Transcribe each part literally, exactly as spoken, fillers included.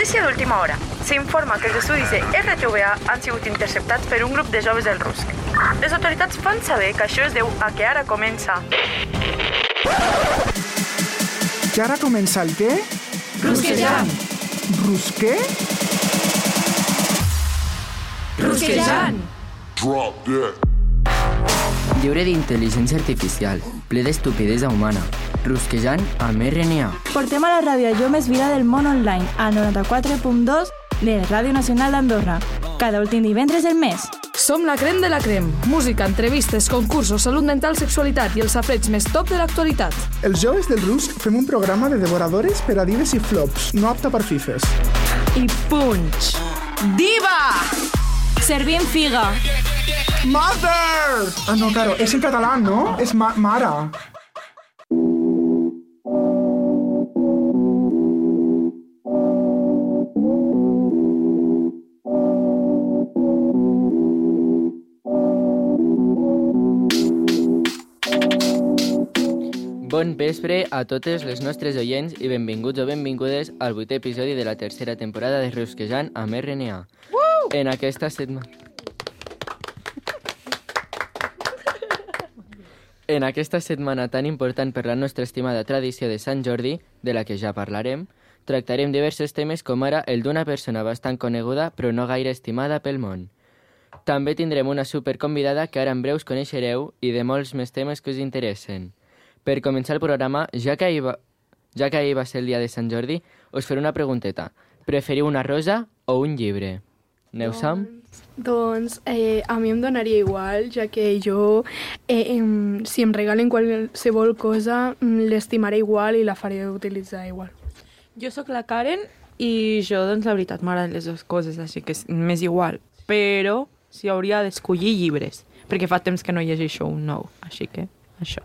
Notícia d'última hora. S'informa que els estudis de R T V A han sigut interceptats per un grup de joves del Rusc. Les autoritats fan saber que això es deu a que ara comença... Que ara comença el què? Rusquejant. Rusquer? Rusquejant. Drop that. Lliure d'intel·ligència artificial, ple d'estupidesa humana. Rusquejant amb R N A. Portem a la ràdio jo més vila del món online, a noranta-quatre punt dos de Ràdio Nacional d'Andorra, cada últim divendres del mes. Som la crem de la crem. Música, entrevistes, concursos, salut mental, sexualitat i els safareig més top de l'actualitat. Els joves del Rusc fem un programa de devoradores per a dives i flops, no apta per fifes. I punch! Diva! Servim figa. Mother! Ah, no, claro, és en català, no? És ma mare. Bon vespre a totes les nostres oients i benvinguts o benvingudes al vuitè episodi de la tercera temporada de Rusquejant amb R N A. Uh! En aquesta setmana... En aquesta setmana tan important per la nostra estimada tradició de Sant Jordi, de la que ja parlarem, tractarem diversos temes com ara el d'una persona bastant coneguda però no gaire estimada pel món. També tindrem una superconvidada que ara en breus coneixereu i de molts més temes que us interessen. Per començar el programa, ja que, ahir va, ja que ahir va ser el dia de Sant Jordi, us faré una pregunteta. Preferiu una rosa o un llibre? Aneu Sam? Doncs eh, a mi em donaria igual, ja que jo, eh, em, si em regalen qualsevol cosa, l'estimaré igual i la faré utilitzar igual. Jo sóc la Karen i jo, doncs, la veritat, m'agraden les dues coses, així que m'és igual. Però si hauria d'escollir llibres, perquè fa temps que no llegeixo un nou, així que això.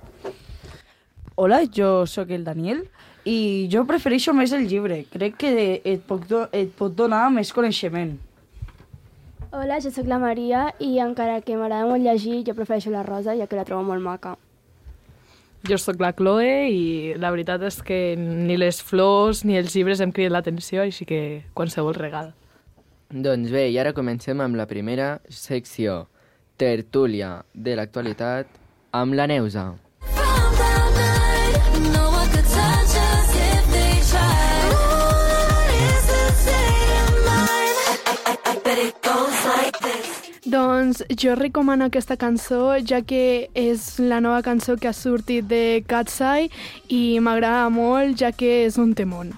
Hola, jo sóc el Daniel i jo prefereixo més el llibre. Crec que et pot, do- et pot donar més coneixement. Hola, jo sóc la Maria i encara que m'agrada molt llegir, jo prefereixo la rosa, ja que la trobo molt maca. Jo sóc la Chloe i la veritat és que ni les flors ni els llibres em criden l'atenció, així que qualsevol regal. Doncs bé, i ara comencem amb la primera secció, tertúlia de l'actualitat, amb la Neusa. Doncs jo recomano aquesta cançó, ja que és la nova cançó que ha sortit de Katseye i m'agrada molt, ja que és un temón.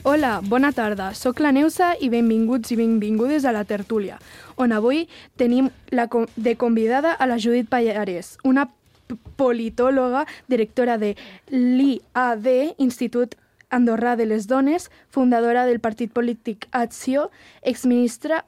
Hola, bona tarda. Soc la Neusa i benvinguts i benvingudes a la tertúlia, on avui tenim la com- de convidada a la Judit Pallarès, una p- politòloga, directora de l'I A D, Institut Andorrà de les Dones, fundadora del partit polític Acció, exministra,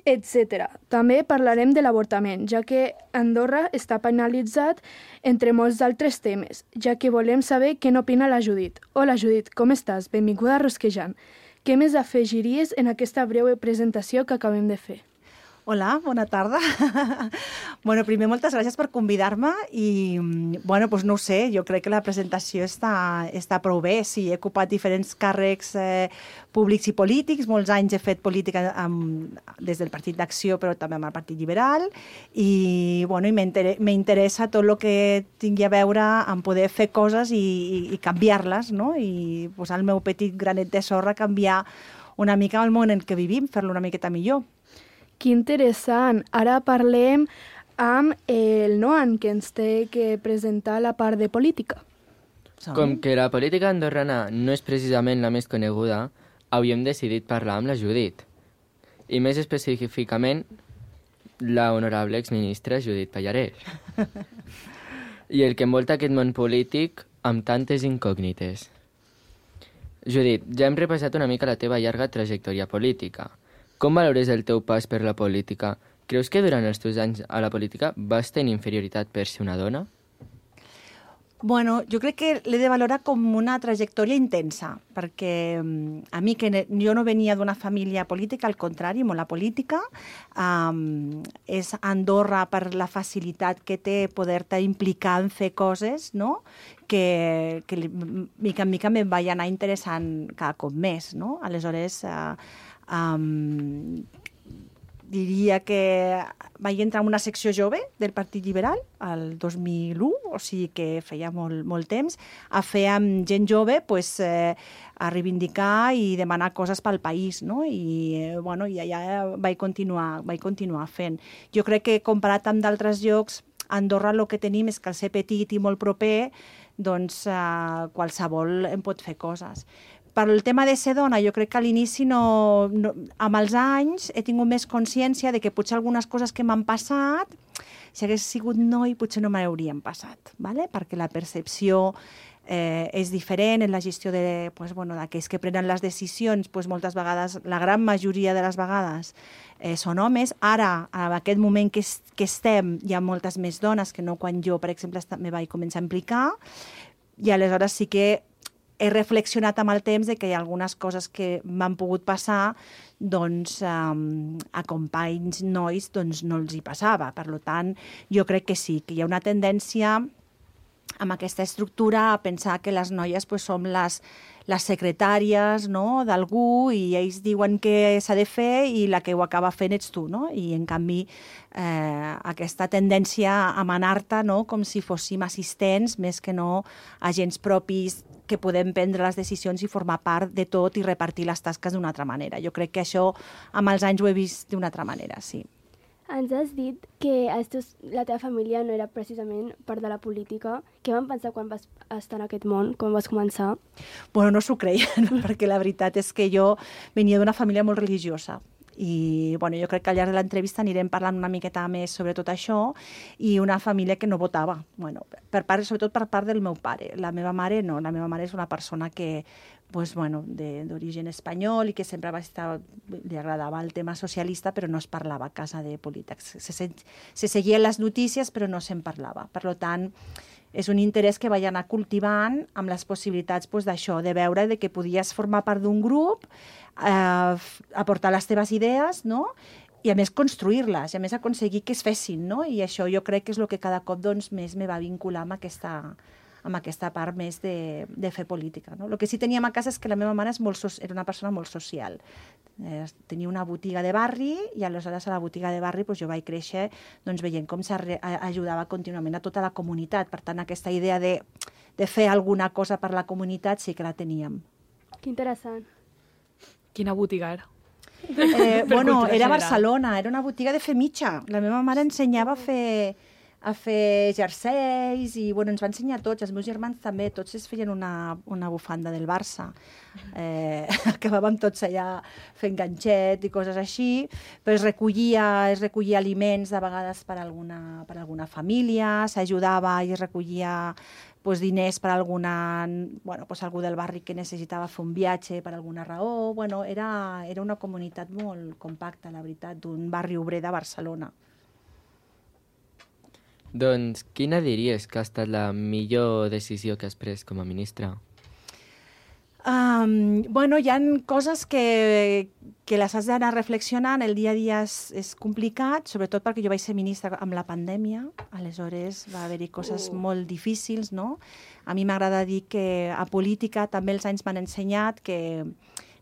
etcètera. També parlarem de l'avortament, ja que Andorra està penalitzat entre molts altres temes, ja que volem saber què n'opina la Judit. Hola Judit, com estàs? Benvinguda a Rusquejant. Què més afegiries en aquesta breu presentació que acabem de fer? Hola, bona tarda. Bueno, primer, moltes gràcies per convidar-me i, bueno, doncs no ho sé, jo crec que la presentació està, està prou bé. Sí, he ocupat diferents càrrecs eh, públics i polítics, molts anys he fet política amb, des del Partit d'Acció, però també amb el Partit Liberal, i, bueno, i m'interessa tot el que tingui a veure amb poder fer coses i, i, i canviar-les, no? I posar el meu petit granet de sorra, canviar una mica el món en què vivim, fer-lo una miqueta millor. Que interessant. Ara parlem amb el Noan, que ens té que presentar la part de política. Com que la política andorrana no és precisament la més coneguda, havíem decidit parlar amb la Judit. I més específicament, la honorable exministra Judit Pallarès. I el que envolta aquest món polític amb tantes incògnites. Judit, ja hem repassat una mica la teva llarga trajectòria política. Com valores el teu pas per la política? Creus que durant els teus anys a la política vas tenir inferioritat per ser una dona? Bueno, jo crec que l'he de valorar com una trajectòria intensa, perquè a mi, que jo no venia d'una família política, al contrari, molt la política, um, és Andorra per la facilitat que té poder-te implicar en fer coses, no?, que, que mica en mica me'n vaig anar interessant cada cop més, no? Aleshores, uh, um, diria que vaig entrar en una secció jove del Partit Liberal el dos mil u, o sigui que feia molt, molt temps, a fer amb gent jove pues, eh, a reivindicar i demanar coses pel país, no? I, eh, bueno, i allà vaig continuar, vaig continuar fent. Jo crec que comparat amb d'altres llocs, a Andorra el que tenim és que al ser petit i molt proper, doncs eh, qualsevol en pot fer coses. Per el tema de ser dona, jo crec que a l'inici, no, no, amb els anys, he tingut més consciència de que potser algunes coses que m'han passat, si hagués sigut noi, potser no m'haurien passat, ¿vale? Perquè la percepció eh, és diferent en la gestió de, pues, bueno, d'aquells que prenen les decisions, pues, moltes vegades, la gran majoria de les vegades, eh, són homes. Ara, en aquest moment que, es, que estem, hi ha moltes més dones que no quan jo, per exemple, me vaig començar a implicar, i aleshores sí que he reflexionat amb el temps de que hi ha algunes coses que m'han pogut passar, doncs um, a companys nois doncs, no els hi passava. Per tant, jo crec que sí, que hi ha una tendència amb aquesta estructura a pensar que les noies pues, som les, les secretàries, no?, d'algú, i ells diuen què s'ha de fer i la que ho acaba fent ets tu, no? I en canvi eh, aquesta tendència a manar-te, no?, com si fóssim assistents més que no agents propis que podem prendre les decisions i formar part de tot i repartir les tasques d'una altra manera. Jo crec que això amb els anys ho he vist d'una altra manera, sí. Ens has dit que estos, la teva família no era precisament part de la política. Què van pensar quan vas estar en aquest món, quan vas començar? Bueno, no s'ho creien, perquè la veritat és que jo venia d'una família molt religiosa. I bueno, jo crec que al llarg de l'entrevista anirem parlant una miqueta més sobre tot això, i una família que no votava, bueno, per part, sobretot per part del meu pare. La meva mare no, la meva mare és una persona que pues, bueno, d'origen espanyol i que sempre va estar, li agradava el tema socialista, però no es parlava a casa de política. Se, se, se seguien les notícies, però no se'n parlava. Per tant, és un interès que vaig anar cultivant amb les possibilitats pues, d'això, de veure de que podies formar part d'un grup, eh, aportar les teves idees, no?, i a més construir-les, i a més aconseguir que es fessin, no? I això jo crec que és el que cada cop doncs, més me va vincular amb aquesta, amb aquesta part més de, de fer política. No? El que sí teníem a casa és que la meva mare és molt, era una persona molt social. Eh, tenia una botiga de barri i aleshores a la botiga de barri doncs, jo vaig créixer doncs, veient com s'ajudava contínuament a tota la comunitat. Per tant, aquesta idea de, de fer alguna cosa per la comunitat sí que la teníem. Que interessant. Quina botiga era? Eh, bueno, era a Barcelona, era una botiga de fer mitja. La meva mare ensenyava a fer... a fer jerseis i bueno, ens va ensenyar a tots, els meus germans també, tots es feien una, una bufanda del Barça. Eh, acabàvem tots allà fent ganxet i coses així, però es recollia, es recollia aliments de vegades per alguna, per alguna família, s'ajudava i es recollia pues, diners per alguna, bueno, pues, algú del barri que necessitava fer un viatge per alguna raó. Bueno, era, era una comunitat molt compacta, la veritat, d'un barri obrer de Barcelona. Doncs quina diries que ha estat la millor decisió que has pres com a ministra? Um, bueno, hi ha coses que, que les has d'anar reflexionant, el dia a dia és, és complicat, sobretot perquè jo vaig ser ministra amb la pandèmia, aleshores va haver-hi coses uh. molt difícils, no? A mi m'agrada dir que a política també els anys m'han ensenyat que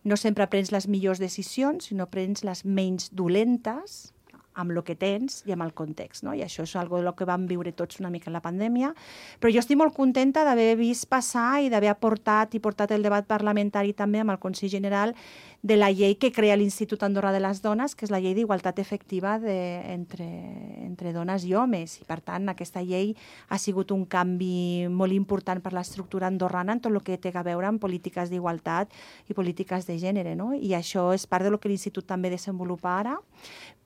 no sempre prens les millors decisions, sinó prens les menys dolentes, amb el que tens i amb el context, no? I això és una cosa que vam viure tots una mica en la pandèmia, però jo estic molt contenta d'haver vist passar i d'haver aportat i portat el debat parlamentari també amb el Consell General de la llei que crea l'Institut Andorra de les Dones, que és la llei d'igualtat efectiva de, entre, entre dones i homes. I, per tant, aquesta llei ha sigut un canvi molt important per l'estructura andorrana en tot el que té a veure amb polítiques d'igualtat i polítiques de gènere, no? I això és part del que l'Institut també desenvolupa ara,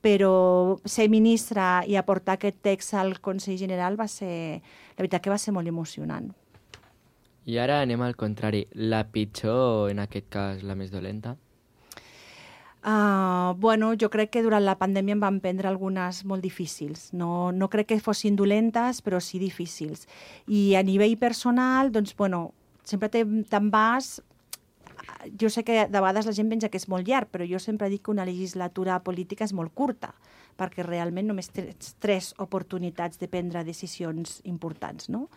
però ser ministra i aportar aquest text al Consell General va ser, la veritat que va ser molt emocionant. I ara anem al contrari. La pitjor, en aquest cas, la més dolenta? Uh, bueno, jo crec que durant la pandèmia em van prendre algunes molt difícils. No, no crec que fossin dolentes, però sí difícils. I a nivell personal, doncs, bueno, sempre te'n vas... Jo sé que de vegades la gent pensa que és molt llarg, però jo sempre dic que una legislatura política és molt curta, perquè realment només tens tres oportunitats de prendre decisions importants, no?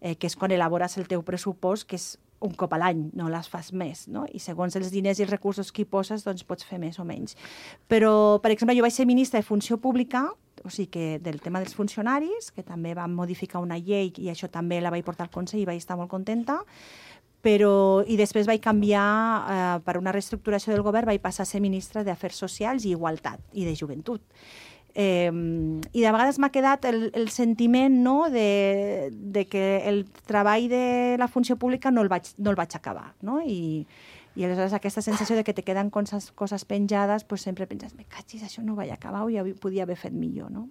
Eh, que és quan elabores el teu pressupost, que és un cop a l'any, no les fas més, no? I segons els diners i els recursos que hi poses, doncs pots fer més o menys. Però, per exemple, jo vaig ser ministra de Funció Pública, o sigui que del tema dels funcionaris, que també vam modificar una llei i això també la vaig portar al Consell i vaig estar molt contenta, però, i després vaig canviar, eh, per una reestructuració del govern, vaig passar a ser ministra d'Afers Socials i Igualtat i de Joventut. Eh, I de vegades m'ha quedat el, el sentiment, no?, de, de que el treball de la funció pública no el vaig, no el vaig acabar, no? I, i aleshores aquesta sensació de que te queden coses, coses penjades, pues sempre penses, me cachis, això no ho vaig acabar o ja podia haver fet millor, no?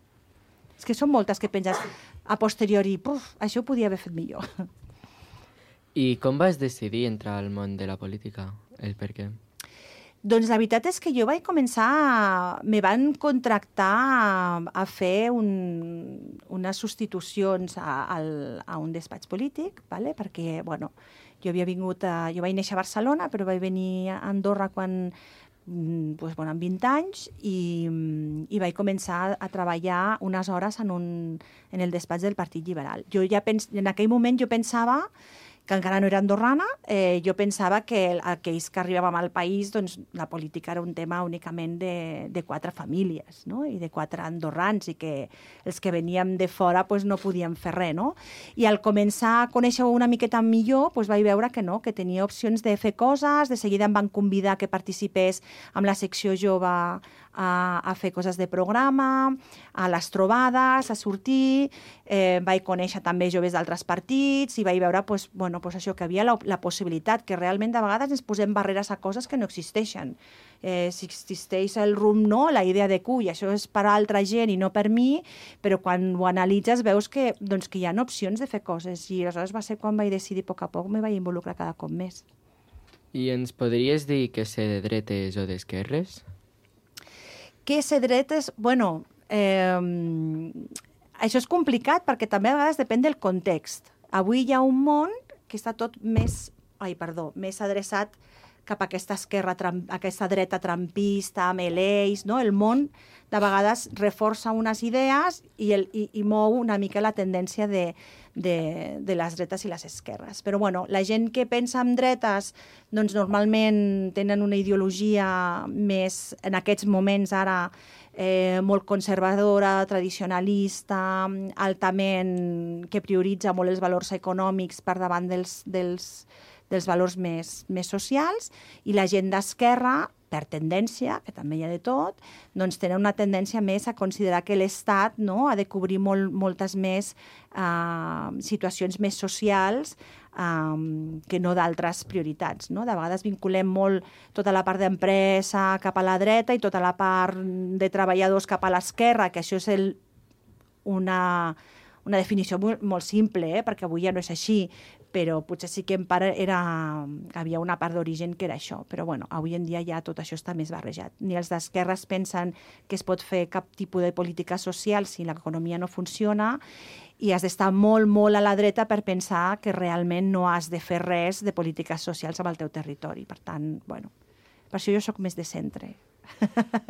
És que són moltes que penses a posteriori, puf, això ho podia haver fet millor. I com vas decidir entrar al món de la política? El per què? Doncs la veritat és que jo vaig començar... Me van contractar a, a fer un, unes substitucions a, a, a un despatx polític, ¿vale? Perquè, bueno, jo havia vingut a... Jo vaig néixer a Barcelona, però vaig venir a Andorra quan... Pues, bueno, amb vint anys i, i vaig començar a treballar unes hores en, un, en el despatx del Partit Liberal. Jo ja pens, en aquell moment jo pensava que encara no era andorrana, eh, jo pensava que aquells que arribàvem al país, doncs la política era un tema únicament de, de quatre famílies, no? I de quatre andorrans, i que els que veníem de fora pues, no podíem fer res, no? I al començar a conèixer una miqueta millor, pues, vaig veure que no, que tenia opcions de fer coses, de seguida em van convidar que participés amb la secció jove a, a fer coses de programa, a les trobades, a sortir, eh, vaig conèixer també joves d'altres partits i vaig veure pues, bueno, pues això, que havia la, la possibilitat, que realment de vegades ens posem barreres a coses que no existeixen. Eh, si existeix el rumb, no, la idea de que això és per a altra gent i no per mi, però quan ho analitzes veus que, doncs, que hi ha opcions de fer coses i aleshores va ser quan vaig decidir a poc a poc me vaig involucrar cada cop més. I ens podries dir que ser de dretes o d'esquerres? Que ser dretes, bueno, eh, això és complicat perquè també a vegades depèn del context. Avui hi ha un món que està tot més, ai, perdó, més adreçat cap a aquesta esquerra, aquesta dreta trampista, amb l'eix, no? El món de vegades reforça unes idees i, el, i, i mou una mica la tendència de, de, de les dretes i les esquerres. Però bueno, la gent que pensa en dretes doncs normalment tenen una ideologia més, en aquests moments ara, eh, molt conservadora, tradicionalista, altament, que prioritza molt els valors econòmics per davant dels, dels, dels valors més, més socials, i la gent d'esquerra, per tendència, que també hi ha de tot, doncs tenen una tendència més a considerar que l'Estat, no, ha de cobrir molt, moltes més uh, situacions més socials um, que no d'altres prioritats, no? De vegades vinculem molt tota la part d'empresa cap a la dreta i tota la part de treballadors cap a l'esquerra, que això és el, una, una definició molt, molt simple, eh? Perquè avui ja no és així, però potser sí que en part era, havia una part d'origen que era això. Però bueno, avui en dia ja tot això està més barrejat. Ni els d'esquerres pensen que es pot fer cap tipus de política social si l'economia no funciona, i has d'estar molt, molt a la dreta per pensar que realment no has de fer res de polítiques socials amb el teu territori. Per tant, bueno, per això jo sóc més de centre,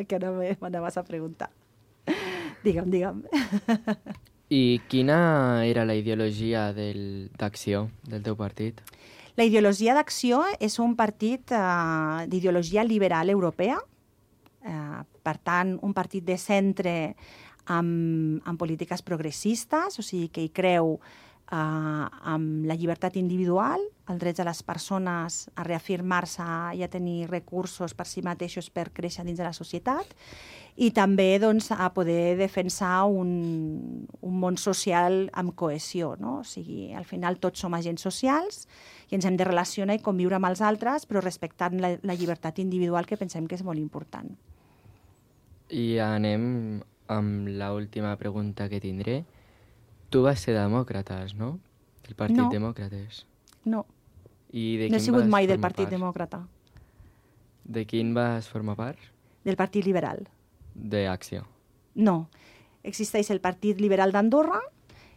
que ara m'anaves a preguntar. Digue'm, digue'm. I quina era la ideologia del, d'Acció, del teu partit? La ideologia d'Acció és un partit uh, d'ideologia liberal europea, uh, per tant, un partit de centre amb, amb polítiques progressistes, o sigui que hi creu uh, amb la llibertat individual, els drets de les persones a reafirmar-se i a tenir recursos per si mateixos per créixer dins de la societat, i també doncs, a poder defensar un, un món social amb cohesió, no? O sigui, al final tots som agents socials i ens hem de relacionar i conviure amb els altres, però respectant la, la llibertat individual, que pensem que és molt important. I anem amb l'última pregunta que tindré. Tu vas ser demòcrates, no? Del Partit no. Demòcrates. No. I de no he quin sigut vas mai del formar Partit part? Demòcrata. De quin vas formar part? del Partit Liberal. D'Acció. No. Existeix el Partit Liberal d'Andorra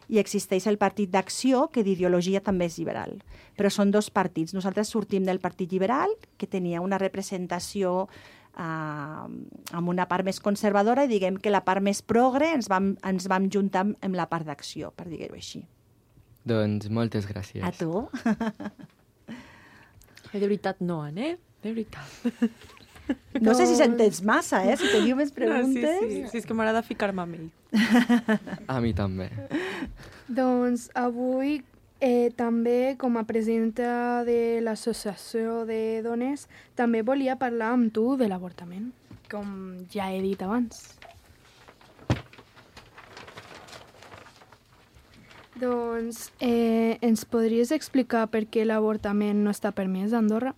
i existeix el Partit d'Acció, que d'ideologia també és liberal. Però són dos partits. Nosaltres sortim del Partit Liberal, que tenia una representació eh, amb una part més conservadora, i diguem que la part més progre ens vam, ens vam juntar amb la part d'Acció, per dir-ho així. Doncs moltes gràcies. A tu. De veritat no, Anne, de veritat. No sé si s'entens massa, eh? Si teniu més preguntes... Sí, sí, sí, és que m'agrada ficar-me amb ell. A mi també. Doncs avui eh, també, com a presidenta de l'Associació de Dones, també volia parlar amb tu de l'avortament, com ja he dit abans. Doncs eh, ens podries explicar per què l'avortament no està permès a Andorra?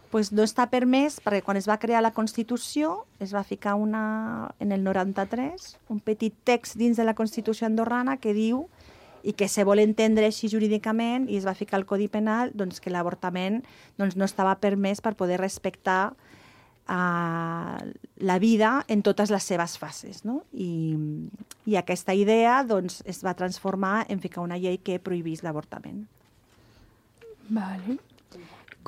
Pues no està permès perquè quan es va crear la Constitució es va ficar una, en el noranta-tres un petit text dins de la Constitució andorrana que diu, i que se vol entendre així jurídicament, i es va ficar al Codi Penal, doncs, que l'avortament doncs, no estava permès per poder respectar uh, la vida en totes les seves fases. No? I, I aquesta idea doncs, es va transformar en ficar una llei que prohibís l'avortament. Vale.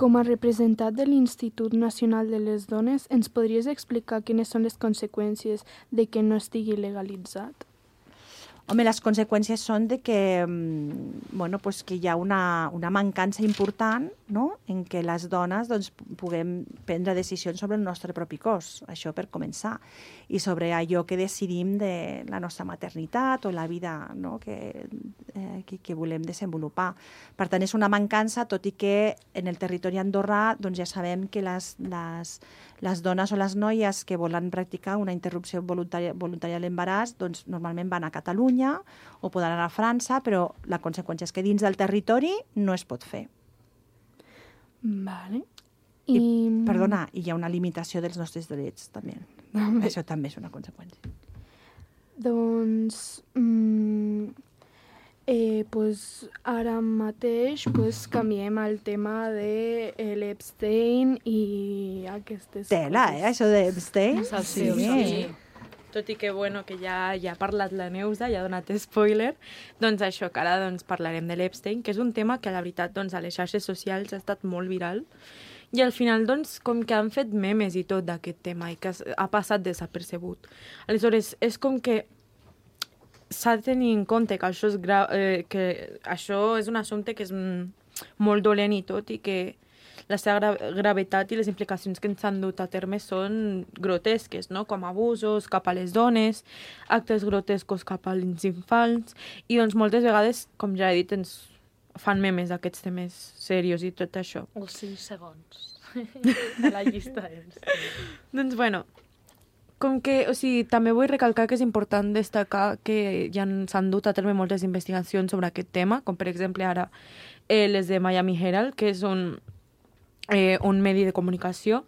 Com a representant de l'Institut Nacional de les Dones, ens podries explicar quines són les conseqüències de que no estigui legalitzat? Home, les conseqüències són de que, bueno, pues que hi ha una, una mancança important, no?, en què les dones doncs, puguem prendre decisions sobre el nostre propi cos, això per començar, i sobre allò que decidim de la nostra maternitat o la vida, no?, que, eh, que, que volem desenvolupar. Per tant, és una mancança, tot i que en el territori andorrà doncs, ja sabem que les, les, les dones o les noies que volen practicar una interrupció voluntària, voluntària de l'embaràs doncs, normalment van a Catalunya o poden anar a França, però la conseqüència és que dins del territori no es pot fer. Vale. I, I... Perdona, i hi ha una limitació dels nostres drets, també. També. Això també és una conseqüència. Doncs... Mm, eh, pues, ara mateix pues, canviem el tema de l'Epstein i aquestes Tela, coses. eh, això d'Epstein? Sí, sí. sí. Tot i que, bueno, que ja, ja ha parlat la Neusa, ja ha donat spoiler, doncs això, que ara doncs, parlarem de l'Epstein, que és un tema que, la veritat, doncs, a les xarxes socials ha estat molt viral, i al final, doncs, com que han fet memes i tot d'aquest tema, i que ha passat desapercebut. Aleshores, és com que s'ha de tenir en compte que això és, gra eh, que això és un assumpte que és molt dolent i tot, i que la seva gra gravetat i les implicacions que ens han dut a terme són grotesques, no? Com abusos cap a les dones, actes grotescos cap als infants, i doncs moltes vegades, com ja he dit, ens fan memes d'aquests temes serios i tot això. Els cinc segons de la llista. Doncs bueno, com que, o sigui, també vull recalcar que és important destacar que ja s'han dut a terme moltes investigacions sobre aquest tema, com per exemple ara eh, les de Miami Herald, que és un Eh, un medi de comunicació,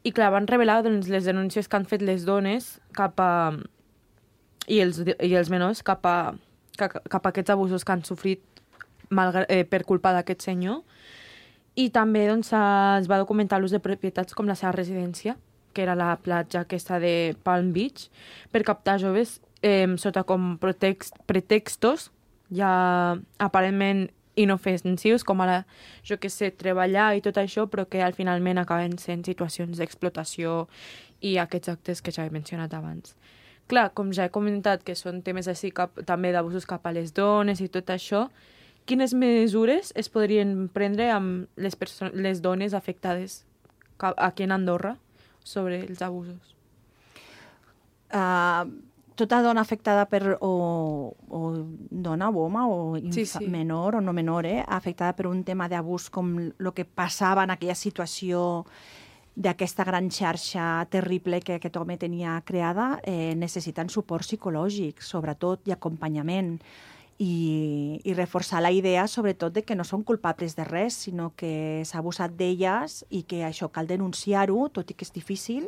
i clar, van revelar doncs, les denúncies que han fet les dones cap a, i, els, i els menors cap a, cap, cap a aquests abusos que han sofrit malgrat, eh, per culpa d'aquest senyor, i també doncs, es va documentar l'ús de propietats com la seva residència, que era la platja aquesta de Palm Beach, per captar joves eh, sota com pretext, pretextos ja aparentment inofensius, com ara, jo que sé, treballar i tot això, però que al finalment acaben sent situacions d'explotació i aquests actes que ja he mencionat abans. Clar, com ja he comentat que són temes així cap, també d'abusos cap a les dones i tot això, quines mesures es podrien prendre amb les, les dones afectades aquí en Andorra sobre els abusos? Uh, tota dona afectada per o, o dona o home o sí, sí. menor o no menor, eh, afectada per un tema d'abús com el que passava en aquella situació d'aquesta gran xarxa terrible que aquest home tenia creada, eh, necessiten suport psicològic, sobretot, i acompanyament. I, i reforçar la idea, sobretot, de que no són culpables de res, sinó que s'ha abusat d'elles i que això cal denunciar-ho, tot i que és difícil,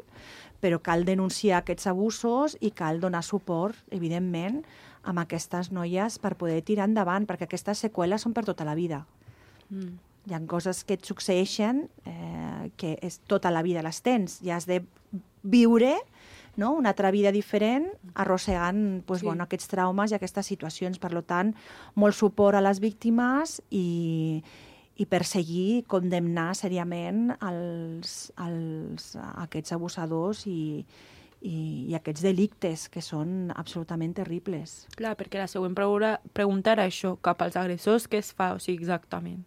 però cal denunciar aquests abusos i cal donar suport, evidentment, a aquestes noies per poder tirar endavant, perquè aquestes seqüeles són per tota la vida. Mm. Hi ha coses que et succeeixen eh, que és tota la vida les tens, i has de viure, no? Una altra vida diferent, arrossegant pues, Sí. bueno, aquests traumes i aquestes situacions. Per tant, molt suport a les víctimes i, i perseguir, condemnar seriament els, els, aquests abusadors i, i, i aquests delictes que són absolutament terribles. Clar, perquè la següent pregunta, pregunta era això, cap als agressors, què es fa? O sigui, exactament.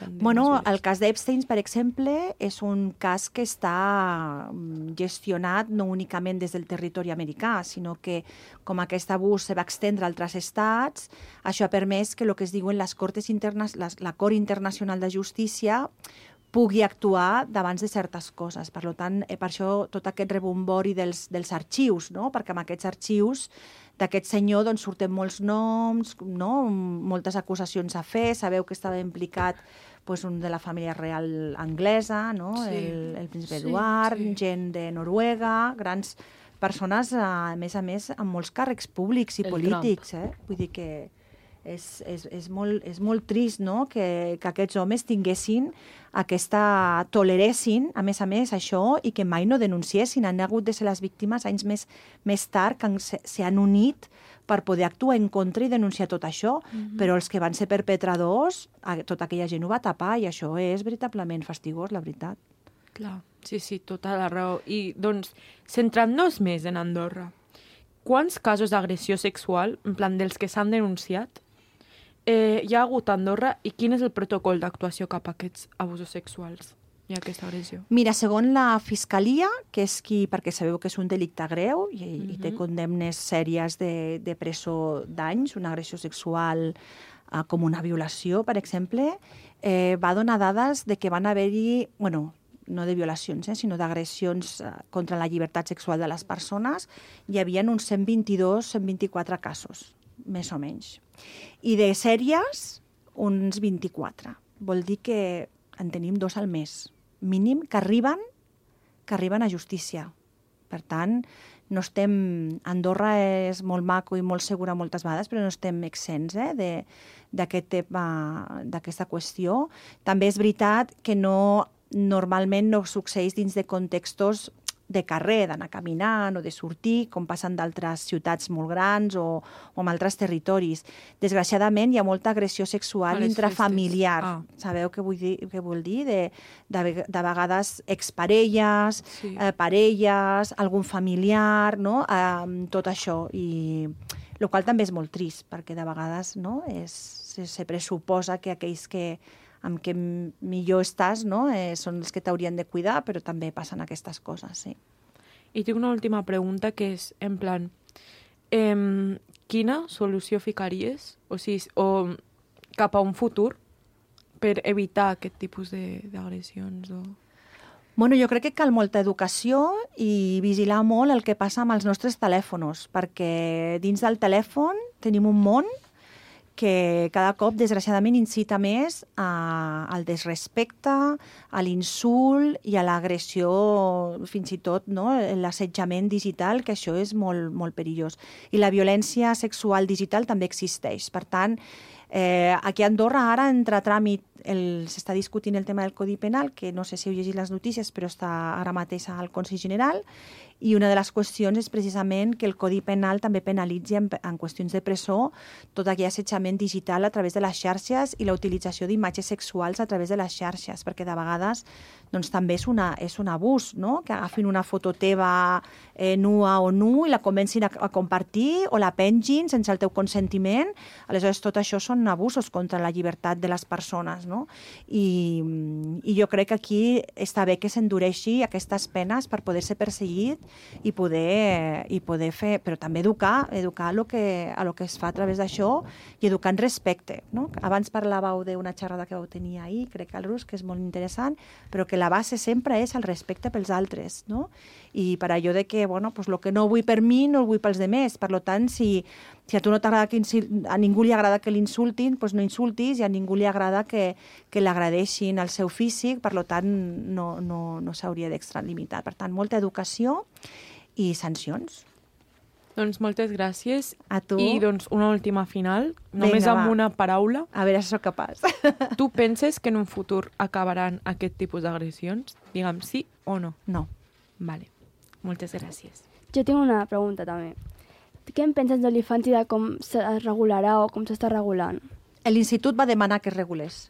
Bueno, el cas d'Epstein, per exemple, és un cas que està gestionat no únicament des del territori americà, sinó que com aquest abús se va extendre a altres estats, això ha permès que el que es diuen les Cortes internas, les, la Cort Internacional de Justícia pugui actuar davant de certes coses. Per tant, eh, per això tot aquest rebombori dels, dels arxius, no? Perquè amb aquests arxius d'aquest senyor doncs, surten molts noms, no? Moltes acusacions a fer, sabeu que estava implicat pues, un de la família real anglesa, no? Sí. el, el príncipe Sí, Eduard, sí. gent de Noruega, grans persones, a més a més, amb molts càrrecs públics i El polítics. Eh? Vull dir que és, és, és, molt, és molt trist, no? que, que aquests homes tinguessin aquesta... toleressin, a més a més, això, i que mai no denunciessin. Han hagut de ser les víctimes anys més, més tard que s'han unit per poder actuar en contra i denunciar tot això, mm-hmm. però els que van ser perpetradors, tota aquella gent ho va tapar, i això és veritablement fastigós, la veritat. Clar, sí, sí, tota la raó. I, doncs, centrant-nos més en Andorra, quants casos d'agressió sexual, en plan dels que s'han denunciat, eh, hi ha hagut a Andorra i quin és el protocol d'actuació cap a aquests abusos sexuals i aquesta agressió? Mira, segons la Fiscalia, que és qui, perquè sabeu que és un delicte greu i, mm-hmm. i té condemnes sèries de, de presó d'anys, una agressió sexual eh, com una violació, per exemple, eh, va donar dades de que van haver-hi, bueno, no de violacions, eh, sinó d'agressions eh, contra la llibertat sexual de les persones, hi havia uns cent vint-i-dos, cent vint-i-quatre casos, més o menys. I de sèries, uns vint-i-quatre. Vol dir que en tenim dos al mes, mínim, que arriben, que arriben a justícia. Per tant, no estem... Andorra és molt maco i molt segura moltes vegades, però no estem exents eh, de, d'aquest tema, d'aquesta qüestió. També és veritat que no, normalment no succeeix dins de contextos de carrer, d'anar caminant o de sortir, com passen d'altres ciutats molt grans o, o en altres territoris. Desgraciadament, hi ha molta agressió sexual intrafamiliar. Ah. Sabeu què vull dir? Què vol dir? De, de, de vegades exparelles, sí. eh, parelles, algun familiar, no? Eh, tot això. I el qual també és molt trist, perquè de vegades no? és, se, se pressuposa que aquells que amb què millor estàs, no? eh, són els que t'haurien de cuidar, però també passen aquestes coses, sí. I tinc una última pregunta que és, en plan, eh, quina solució ficaries, o sigui, o cap a un futur, per evitar aquest tipus d'agressions? O... Bueno, jo crec que cal molta educació i vigilar molt el que passa amb els nostres telèfons, perquè dins del telèfon tenim un món que cada cop, desgraciadament, incita més a, al desrespecte, a l'insult i a l'agressió, fins i tot no? L'assetjament digital, que això és molt, molt perillós. I la violència sexual digital també existeix. Per tant, eh, aquí a Andorra ara entra a tràmit, s'està discutint el tema del Codi Penal, que no sé si heu llegit les notícies, però està ara mateix al Consell General, i una de les qüestions és precisament que el Codi Penal també penalitzi en, en qüestions de presó tot aquell assetjament digital a través de les xarxes i la utilització d'imatges sexuals a través de les xarxes, perquè de vegades doncs, també és, una, és un abús, no? Que agafin una foto teva eh, nua o nu i la comencin a, a compartir o la pengin sense el teu consentiment. Aleshores, tot això són abusos contra la llibertat de les persones, no? I, i jo crec que aquí està bé que s'endureixi aquestes penes per poder ser perseguit i poder, i poder fer, però també educar, educar a lo que, a lo que es fa a través d'això i educar en respecte, no? Abans parlàveu d'una xerrada que vau tenir ahir, crec que al Rus, que és molt interessant, però que la base sempre és el respecte pels altres, no? I per allò de que, bueno, pues lo que no vull per mi, no ho vull pels demés. Per tant, si, si a tu no t'agrada que a ningú li agrada que l'insultin, doncs no insultis, i a ningú li agrada que, que l'agradeixin el seu físic, per tant, no, no, no s'hauria d'extralimitar. Per tant, molta educació i sancions. Doncs moltes gràcies. A tu. I doncs una última final, només Vinga, amb va. una paraula. A veure si sóc capaç. Tu penses que en un futur acabaran aquest tipus d'agressions? Digue'm sí o no. No. Vale. Moltes gràcies. Jo tinc una pregunta també. Què en penses d'OnlyFans i de com es regularà o com s'està regulant? L'Institut va demanar que es regulés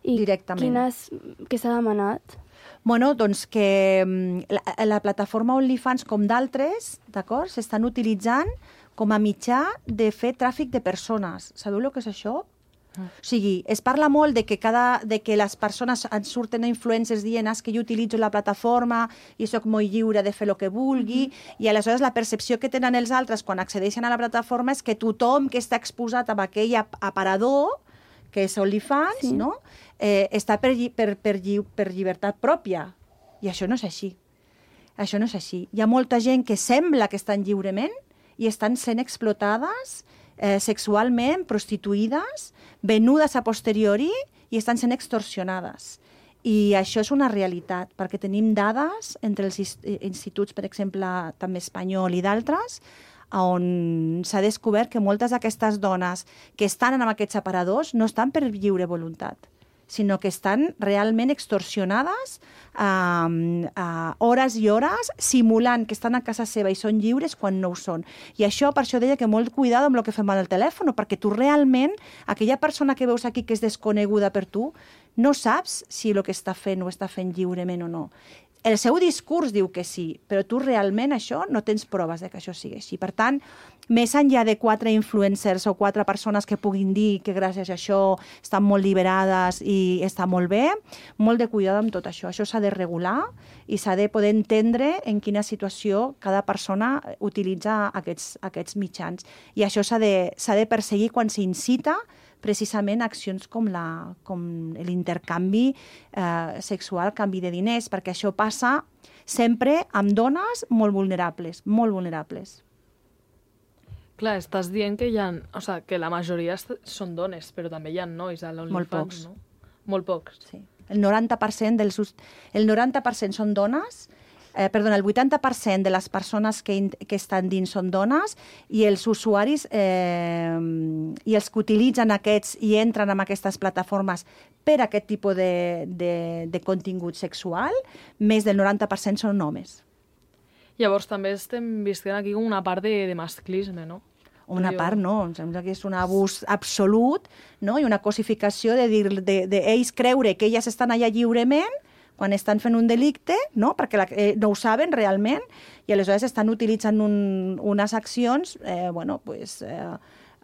I directament. Quines, què s'ha demanat? Bueno, doncs que la, la plataforma OnlyFans, com d'altres, d'acord, s'estan utilitzant com a mitjà de fer tràfic de persones. Sabeu el que és això? Mm. O sigui, es parla molt de que, cada, de que les persones ens surten influencers dient es que jo utilitzo la plataforma i sóc molt lliure de fer el que vulgui, mm-hmm. i aleshores la percepció que tenen els altres quan accedeixen a la plataforma és que tothom que està exposat a aquell aparador, que és OnlyFans, sí. no? eh, està per, per, per, lli per llibertat pròpia. I això no és així. Això no és així. Hi ha molta gent que sembla que estan lliurement i estan sent explotades eh, sexualment, prostituïdes, venudes a posteriori i estan sent extorsionades. I això és una realitat, perquè tenim dades entre els instituts, per exemple, també espanyol i d'altres, on s'ha descobert que moltes d'aquestes dones que estan en aquests aparadors no estan per lliure voluntat, sinó que estan realment extorsionades a, a hores i hores, simulant que estan a casa seva i són lliures quan no ho són. I això, per això deia que molt cuidado amb el que fem al telèfon, perquè tu realment, aquella persona que veus aquí que és desconeguda per tu, no saps si el que està fent ho està fent lliurement o no. El seu discurs diu que sí, però tu realment això no tens proves de que això sigui així. Per tant, més enllà de quatre influencers o quatre persones que puguin dir que gràcies a això estan molt liberades i està molt bé, molt de cuidado amb tot això. Això s'ha de regular i s'ha de poder entendre en quina situació cada persona utilitza aquests, aquests mitjans. I això s'ha de, s'ha de perseguir quan s'incita precisament accions com la, com l'intercanvi eh, sexual, canvi de diners, perquè això passa sempre amb dones molt vulnerables, molt vulnerables. Clar, estàs dient que hi ha, o sea, que la majoria són dones, però també hi ha nois a l'OnlyFans, molt pocs. No? Molt pocs. Sí. El noranta per cent dels, el noranta per cent són dones, Eh, perdona, el vuitanta per cent de les persones que, in, que estan dins són dones i els usuaris eh, i els que utilitzen aquests i entren en aquestes plataformes per aquest tipus de, de, de contingut sexual, més del noranta per cent són homes. Llavors també estem visquent aquí una part de, de masclisme, no? Una part no, em sembla que és un abús absolut, no? I una cosificació de dir de, de ells creure que elles estan allà lliurement quan estan fent un delicte, no? Perquè la, eh, no ho saben realment, i aleshores estan utilitzant un, unes accions eh, bueno, pues, eh,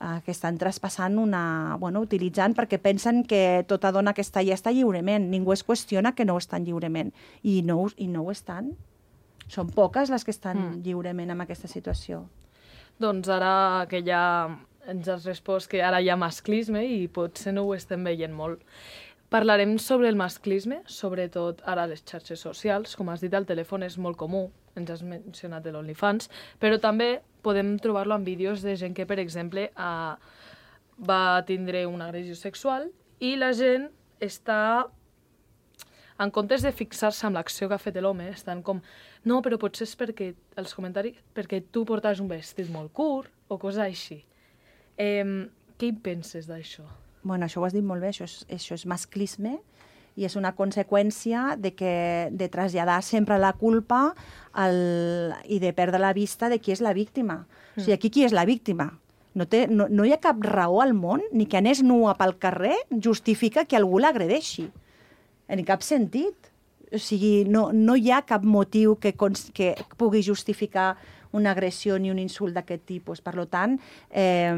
eh, que estan traspassant una... Bueno, utilitzant perquè pensen que tota dona que està allà està lliurement. Ningú es qüestiona que no ho estan lliurement. I no, i no ho estan. Són poques les que estan mm. lliurement en aquesta situació. Doncs ara que ja ens has respost que ara hi ha masclisme i potser no ho estem veient molt. Parlarem sobre el masclisme, sobretot ara a les xarxes socials. Com has dit, el telèfon és molt comú, ens has mencionat de l'OnlyFans, però també podem trobar-lo en vídeos de gent que, per exemple, eh, va tindre una agressió sexual i la gent està, en comptes de fixar-se en l'acció que ha fet l'home, estan com, no, però potser és perquè, els comentaris, perquè tu portaves un vestit molt curt o coses així. Eh, què hi penses d'això? Bueno, això ho has dit molt bé, això és, això és masclisme i és una conseqüència de, que, de traslladar sempre la culpa al, i de perdre la vista de qui és la víctima. Mm. O sigui, aquí qui és la víctima? No, té, no, no hi ha cap raó al món, ni que anés nua pel carrer justifica que algú l'agredeixi. En cap sentit. O sigui, no, no hi ha cap motiu que, que pugui justificar una agressió ni un insult d'aquest tipus. Per tant, eh,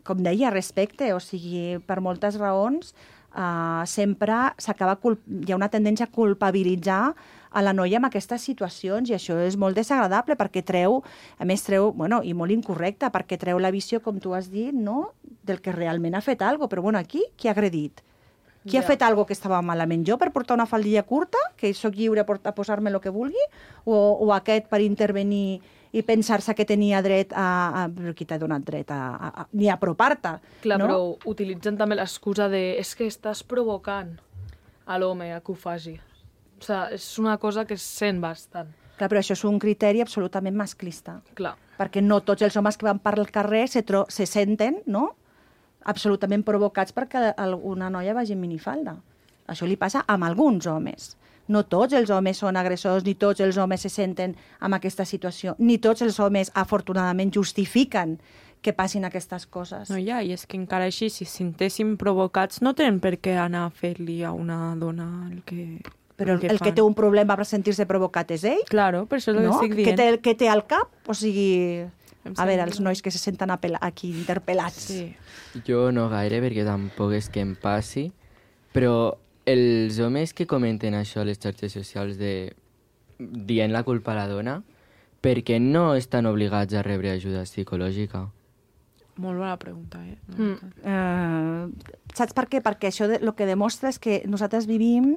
com deia, respecte, o sigui, per moltes raons, eh, sempre s'acaba hi ha una tendència a culpabilitzar a la noia en aquestes situacions i això és molt desagradable perquè treu, a més treu, bueno, i molt incorrecte, perquè treu la visió, com tu has dit, no?, del que realment ha fet alguna cosa. Però bueno, aquí, qui ha agredit? Qui yeah. ha fet alguna cosa que estava malament? Jo per portar una faldilla curta, que sóc lliure a posar-me el que vulgui, o, o aquest per intervenir i pensar-se que tenia dret a... a però qui t'ha donat dret a, a, a ni a apropar-te? Clar, no? Però utilitzen també l'excusa de és que estàs provocant a l'home a que ho faci. O sigui, és una cosa que es sent bastant. Clar, però això és un criteri absolutament masclista. Clar. Perquè no tots els homes que van per al carrer se, tro se senten, no?, absolutament provocats perquè una noia vagi en minifalda. Això li passa amb alguns homes. No tots els homes són agressors, ni tots els homes se senten en aquesta situació, ni tots els homes, afortunadament, justifiquen que passin aquestes coses. No, ja, i és que encara així, si se sentessin provocats, no tenen per què anar a fer-li a una dona el que... Però el, el que té un problema per sentir-se provocat és ell. Claro, per això és el no? que estic dient. Que té, que té al cap, o sigui... A veure, els nois que se senten aquí interpel·lats. Sí. Jo no gaire, perquè tampoc és que em passi, però els homes que comenten això a les xarxes socials de dient la culpa a la dona, perquè no estan obligats a rebre ajuda psicològica? Molt bona pregunta, eh? Mm. Uh, saps per què? Perquè això de, el que demostra és que nosaltres vivim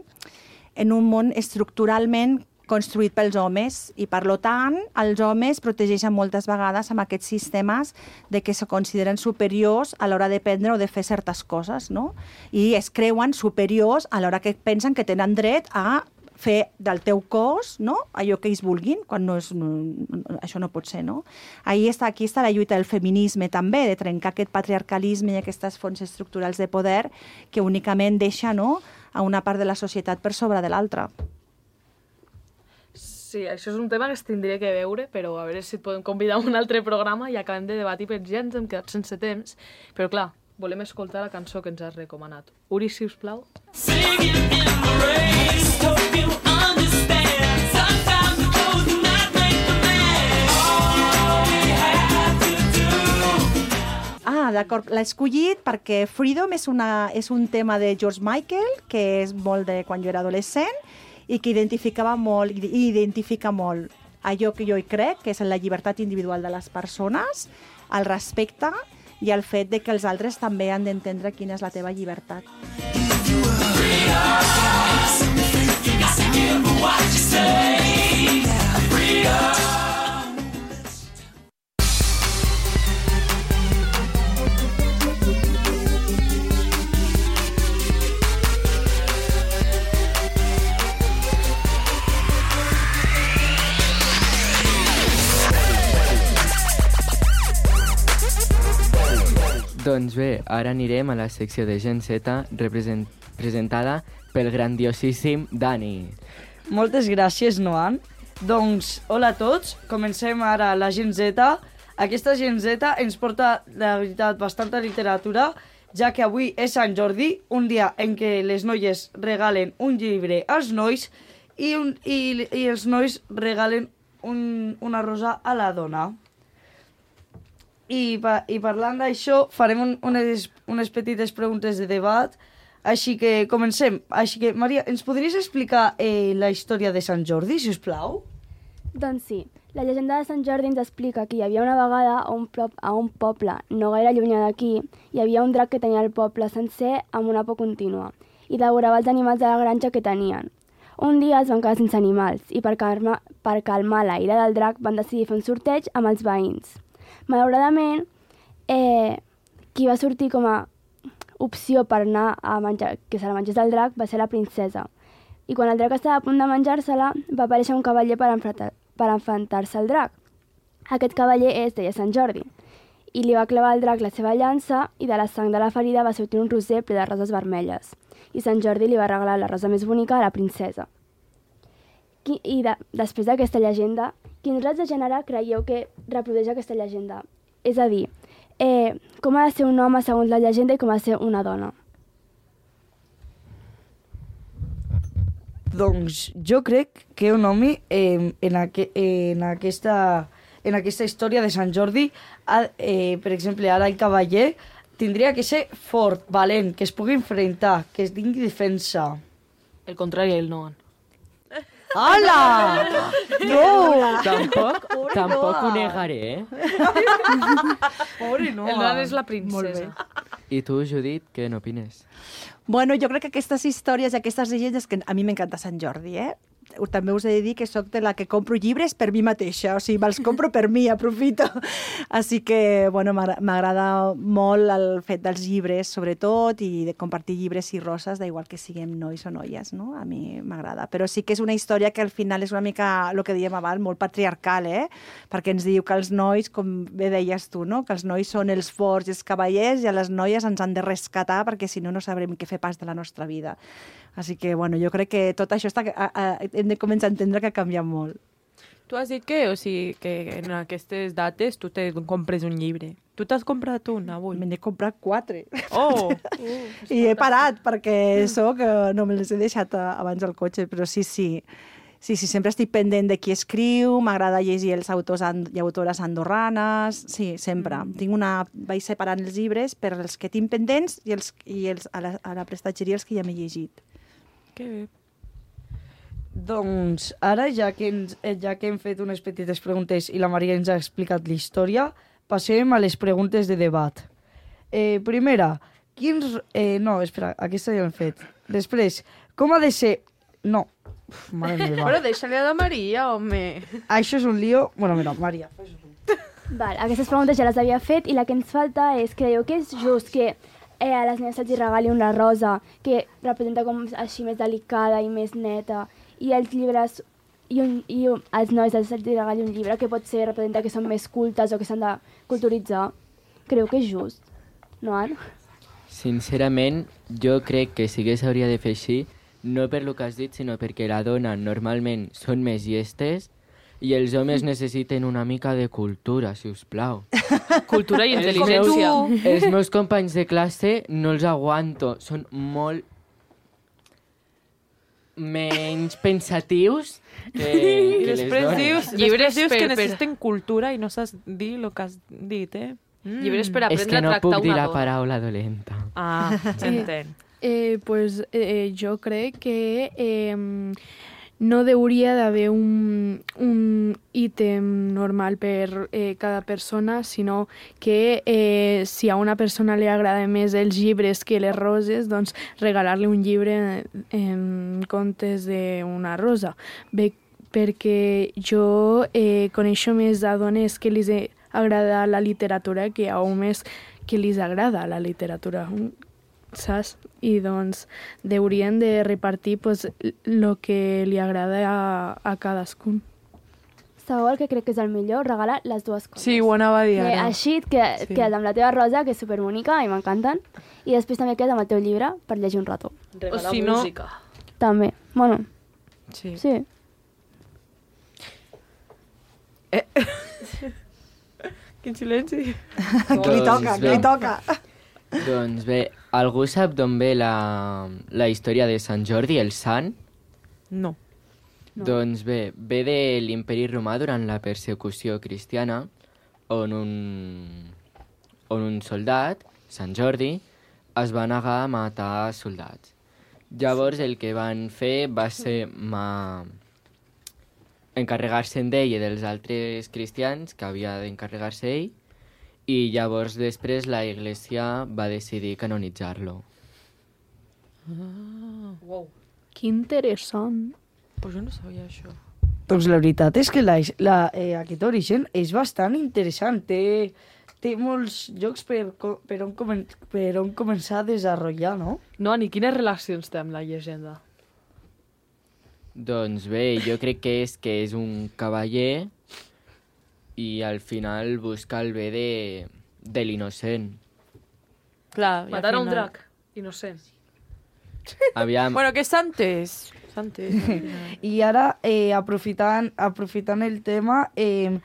en un món estructuralment construït pels homes i, per tant, els homes protegeixen moltes vegades amb aquests sistemes de que se consideren superiors a l'hora de prendre o de fer certes coses, no? I es creuen superiors a l'hora que pensen que tenen dret a fer del teu cos, no?, allò que ells vulguin, quan no és, no, això no pot ser, no? Ahí està, aquí està la lluita del feminisme també, de trencar aquest patriarcalisme i aquestes fonts estructurals de poder que únicament deixa, no?, a una part de la societat per sobre de l'altra. Sí, això és un tema que es tindria que veure, però a veure si et podem convidar a un altre programa i acabem de debatir, perquè ja ens hem quedat sense temps. Però clar, volem escoltar la cançó que ens has recomanat. Uri, si us plau. Ah, d'acord, l'he escollit perquè Freedom és, una, és un tema de George Michael, que és molt de quan jo era adolescent, i que identificava molt, i identifica molt allò que jo hi crec, que és la llibertat individual de les persones, el respecte i el fet de que els altres també han d'entendre quina és la teva llibertat. Doncs bé, ara anirem a la secció de Gen Z represent... presentada pel grandiosíssim Dani. Moltes gràcies, Noan. Doncs, hola a tots. Comencem ara la Gen Z. Aquesta Gen Z ens porta, la veritat, bastanta literatura, ja que avui és Sant Jordi, un dia en què les noies regalen un llibre als nois i, un, i, i els nois regalen un, una rosa a la dona. I, pa, i parlant d'això, farem un, unes, unes petites preguntes de debat, així que comencem. Així que, Maria, ens podries explicar eh, la història de Sant Jordi, si us plau? Doncs sí. La llegenda de Sant Jordi ens explica que hi havia una vegada a un, prop, a un poble no gaire llunyà d'aquí, hi havia un drac que tenia el poble sencer amb una por contínua i devorava els animals de la granja que tenien. Un dia es van quedar sense animals i per calmar, per calmar la ira del drac van decidir fer un sorteig amb els veïns. Malauradament, eh, qui va sortir com a opció per anar a menjar, que se la mengés el drac, va ser la princesa. I quan el drac estava a punt de menjar-se-la, va aparèixer un cavaller per, per enfrontar-se al drac. Aquest cavaller es deia Sant Jordi, i li va clavar al drac la seva llança i de la sang de la ferida va sortir un roser ple de roses vermelles. I Sant Jordi li va regalar la rosa més bonica a la princesa. I de, després d'aquesta llegenda, quins rats de gènere creieu que reprodueix aquesta llegenda? És a dir, eh, com ha de ser un home segons la llegenda i com ha de ser una dona? Doncs jo crec que un home eh, en, aqu en, aquesta, en aquesta història de Sant Jordi, eh, per exemple, ara el cavaller, tindria que ser fort, valent, que es pugui enfrontar, que es tingui defensa. El contrari, el Noan. Hola! No! Tampoc, tampoc ho negaré, eh? Pobre no. El Noan és la princesa. I tu, Judit, què n'opines? Bueno, jo crec que aquestes històries i aquestes llegendes, que a mi m'encanta Sant Jordi, eh? També us he de dir que sóc de la que compro llibres per mi mateixa, o sigui, me'ls compro per mi, aprofito. Així que, bueno, m'agrada molt el fet dels llibres, sobretot, i de compartir llibres i roses, d'igual que siguem nois o noies, no? A mi m'agrada. Però sí que és una història que al final és una mica, el que dèiem abans, molt patriarcal, eh? Perquè ens diu que els nois, com bé deies tu, no? Que els nois són els forts i els cavallers i a les noies ens han de rescatar perquè si no, no sabrem què fer pas de la nostra vida. Així que, bueno, jo crec que tot això està, a, a, hem de començar a entendre que ha canviat molt. Tu has dit que, o sigui, que en aquestes dates tu te compres un llibre. Tu t'has comprat un avui? Me n'he comprat quatre. Oh! uh, I he parat perquè soc, no me les he deixat abans al cotxe, però sí, sí. Sí, sí, sempre estic pendent de qui escriu, m'agrada llegir els autors i autores andorranes, sí, sempre. Mm. Tinc una... Vaig separant els llibres per els que tinc pendents i, els, i els, a, la, a la prestatgeria els que ja m'he llegit. Que bé. Doncs ara, ja que, ens, ja que hem fet unes petites preguntes i la Maria ens ha explicat la història, passem a les preguntes de debat. Eh, primera, quins... Eh, no, espera, aquesta ja l'hem fet. Després, com ha de ser... No, Uf, mare meva. Però deixa-li a la Maria, home. Això és un lío... Bueno, mira, Maria, fes-ho tu. Val, aquestes preguntes ja les havia fet i la que ens falta és, creieu que és just que eh, a les nenes se'ls regali una rosa que representa com així més delicada i més neta, i els llibres i, un, i un, als nois se'ls regali un llibre que pot ser representa que són més cultes o que s'han de culturitzar? Creu que és just, no, Anna? Sincerament, jo crec que sí que s'hauria de fer així, no per lo que has dit, sinó perquè la dona normalment són més llestes i els homes necessiten una mica de cultura, si us plau. Cultura i intel·ligència. Els, els meus companys de classe no els aguanto, són molt menys pensatius que, que les dones. Dius, llibres dius per, que necessiten per... cultura i no saps dir el que has dit, eh? Mm. Llibres per aprendre a tractar una dona. És que no puc dir la dona. paraula dolenta. Ah, s'entén. Eh, pues eh, jo crec que eh, no hauria d'haver un, un ítem normal per eh, cada persona, sinó que eh, si a una persona li agrada més els llibres que les roses, doncs regalar-li un llibre en comptes d'una rosa. Bé, perquè jo eh, coneixo més a dones que li agrada la literatura que a homes que li agrada la literatura, saps? I doncs haurien de repartir pues, el que li agrada a, a cadascun. Sabeu el que crec que és el millor? Regalar les dues coses. Sí, ho anava a dir ara. Eh, així que sí. Quedes amb la teva rosa, que és superbonica i m'encanten, i després també quedes amb el teu llibre per llegir un rato. Regalar o si música. No... També. Bueno, sí. sí. Eh. Quin silenci. Que li toca, que li toca. Doncs bé, algú sap d'on ve la, la història de Sant Jordi, el sant? No. no. Doncs bé, ve de l'imperi romà durant la persecució cristiana, on un, on un soldat, Sant Jordi, es va negar a matar soldats. Llavors el que van fer va ser ma... encarregar-se'n d'ell i dels altres cristians, que havia d'encarregar-se ell, i llavors després la Iglesia va decidir canonitzar-lo. Ah, wow. Que interessant. Pues jo no sabia això. Doncs la veritat és que la, la, eh, aquest origen és bastant interessant. Té, té molts llocs per, per, on comen, per on començar a desenvolupar, no? No, ni quines relacions té amb la llegenda? Doncs bé, jo crec que és que és un cavaller i al final busca el bé de, de l'innocent. Clar, matar final... un drac innocent. Aviam. Bueno, que és Santes. Santes. I ara, eh, aprofitant, aprofitant el tema, eh,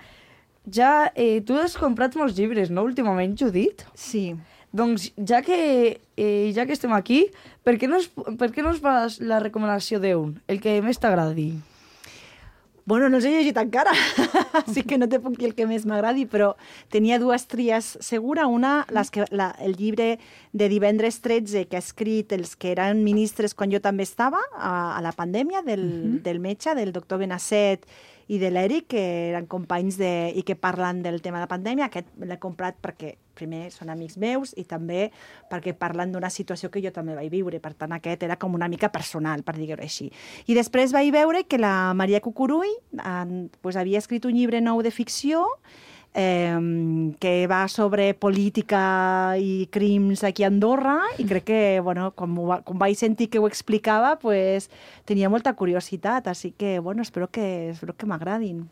ja eh, tu has comprat molts llibres, no, últimament, Judit? Sí. Doncs ja que, eh, ja que estem aquí, per què no es, per què no es fas la recomanació d'un, el que més t'agradi? Bueno, no els he llegit encara, així que no te puc dir el que més m'agradi, però tenia dues tries segura. Una, les que, la, el llibre de Divendres tretze que ha escrit els que eren ministres quan jo també estava, a, a la pandèmia, del, uh-huh. del metge, del doctor Benasset i de l'Eric, que eren companys de, i que parlen del tema de la pandèmia. Aquest l'he comprat perquè, primer, són amics meus i també perquè parlen d'una situació que jo també vaig viure. Per tant, aquest era com una mica personal, per dir-ho així. I després vaig veure que la Maria Cucurull eh, pues, havia escrit un llibre nou de ficció eh, que va sobre política i crims aquí a Andorra i crec que, bueno, quan, quan vaig sentir que ho explicava, pues, tenia molta curiositat, així que, bueno, espero que, espero que m'agradin.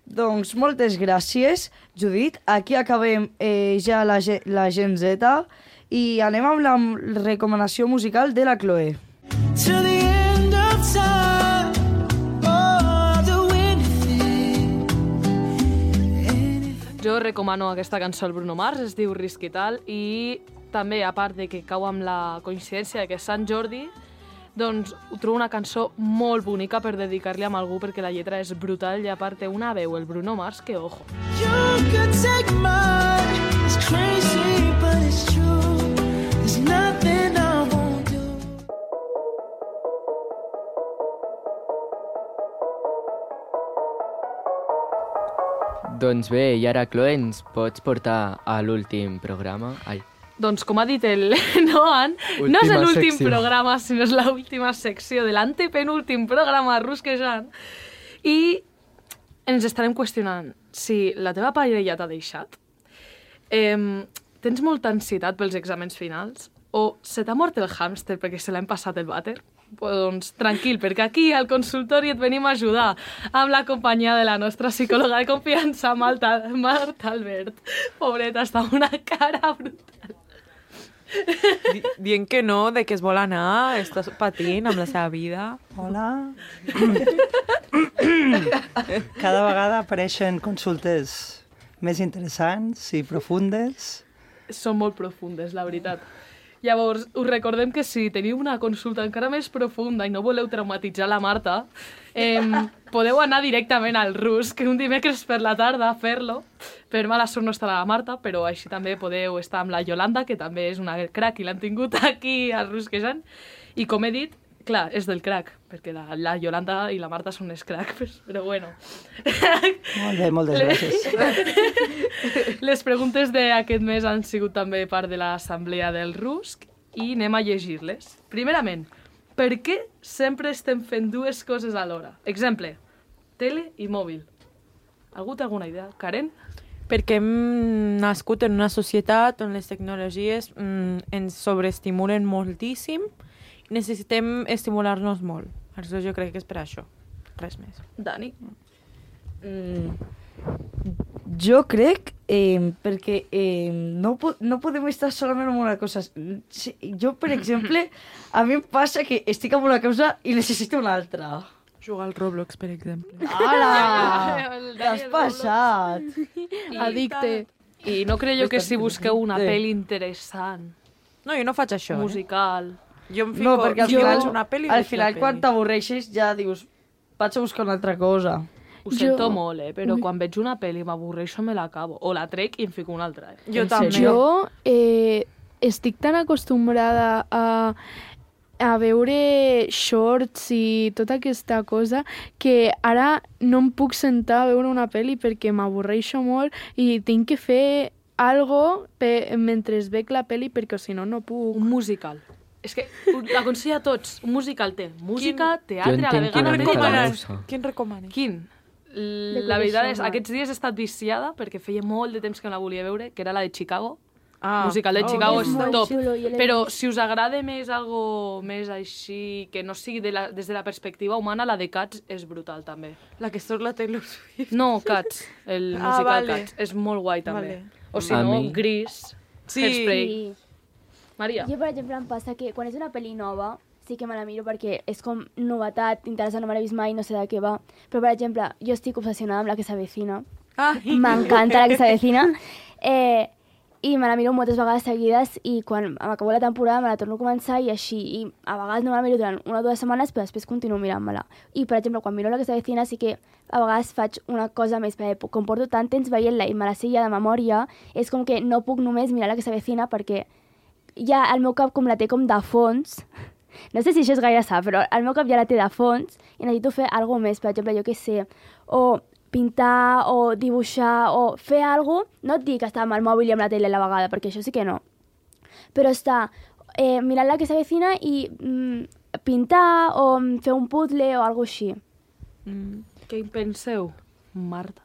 Doncs moltes gràcies, Judit. Aquí acabem eh, ja la, la Gen Z i anem amb la recomanació musical de la Chloe. Jo recomano aquesta cançó al Bruno Mars, es diu Risc i tal, i també, a part de que cau amb la coincidència que és Sant Jordi, doncs ho trobo una cançó molt bonica per dedicar-li a algú perquè la lletra és brutal i a part té una veu, el Bruno Mars, que ojo. You could take mine, it's crazy but it's true, there's nothing I won't do. Doncs bé, i ara, Chloe, ens pots portar a l'últim programa? Ai. Doncs com ha dit el Noan, Última no és l'últim secció. programa, sinó és l'última secció de l'antepenúltim programa Rusquejant. I ens estarem qüestionant si la teva parella t'ha deixat, eh, tens molta ansietat pels exàmens finals, o se t'ha mort el hàmster perquè se l'hem passat el vàter. Doncs tranquil, perquè aquí al consultori et venim a ajudar amb la companyia de la nostra psicòloga de confiança, Marta, Marta Albert. Pobreta, està amb una cara brutal. Di dient que no, de que es vol anar, està patint amb la seva vida. Hola. Cada vegada apareixen consultes més interessants i profundes. Són molt profundes, la veritat. Llavors, us recordem que si teniu una consulta encara més profunda i no voleu traumatitzar la Marta, eh, podeu anar directament al Rus, que un dimecres per la tarda a fer-lo. Per mala sort no estarà la Marta, però així també podeu estar amb la Yolanda, que també és una crack i l'han tingut aquí al Rusquejant. I com he dit, clar, és del crack, perquè la, la Yolanda i la Marta són les crack, però bueno. Molt bé, moltes gràcies. Les preguntes d'aquest mes han sigut també part de l'assemblea del Rusc i anem a llegir-les. Primerament, per què sempre estem fent dues coses alhora? Exemple, tele i mòbil. Algú té alguna idea? Karen? Perquè hem nascut en una societat on les tecnologies mm, ens sobreestimulen moltíssim i necessitem estimular-nos molt. Aleshores jo crec que és per això. Res més. Dani? Mm, jo crec eh, perquè eh, no, po no podem estar solament en una cosa. Sí, jo, per exemple, a mi em passa que estic en una cosa i necessito una altra. Jugar al Roblox, per exemple. Ala! T'has passat! Addicte. I no creieu que si busqueu una pel·li interessant, No, jo no faig això. musical... Jo em fico, No, perquè al jo, final, una pel·li al veig la final quan pel·li. t'avorreixes ja dius vaig a buscar una altra cosa. Ho sento Jo- molt, eh? Però Ui. quan veig una pel·li m'avorreixo, me l'acabo. O la trec i em fico una altra. Eh? Jo també. Jo eh, estic tan acostumbrada a, a veure shorts i tota aquesta cosa que ara no em puc sentar a veure una pel·li perquè m'avorreixo molt i tinc que fer algo pe mentre veig la pel·li perquè si no no puc. Un musical. És que l'aconsella a tots. Un musical té música, Jo teatre, a la entenc vegada... una mica la recomanes. musa. Quin recomanes? Quin? La veritat és, aquests dies he estat viciada perquè feia molt de temps que no la volia veure, que era la de Chicago. Ah. Musical de Oh, Chicago és és molt top. xulo, jo l'he Però vist. si us agrada més algo més així, que no sigui de la, des de la perspectiva humana, la de Cats és brutal també. La que surt la Taylor Swift. No, Cats, el Ah, musical vale. Cats. És molt guai també. Vale. O si A no, mi- Gris, Sí. Hairspray. Sí. Maria. Jo, per exemple, em passa que quan és una pel·li nova sí que me la miro perquè és com novetat, interessant, no me l'he vist mai, no sé de què va. Però, per exemple, jo estic obsessionada amb La que s'avecina. Ai. M'encanta La que s'avecina. Eh, I me la miro moltes vegades seguides i quan m'acabo la temporada me la torno a començar i així. I a vegades no me la miro durant una o dues setmanes, però després continuo mirant-me-la. I, per exemple, quan miro La que s'avecina sí que a vegades faig una cosa més, perquè com porto tant temps veient-la i me la sé ja de memòria, és com que no puc només mirar La que s'avecina perquè ja el meu cap com la té com de fons. No sé si això és gaire sa, però el meu cap ja la té de fons i necessito fer alguna més, per exemple, jo què sé, o pintar, o dibuixar, o fer alguna cosa. No et dic estar amb el mòbil i amb la tele a la vegada, perquè això sí que no. Però estar eh, mirant La que s'avecina i mm, pintar, o fer un puzzle, o alguna així. Mm. Què en penseu, Marta?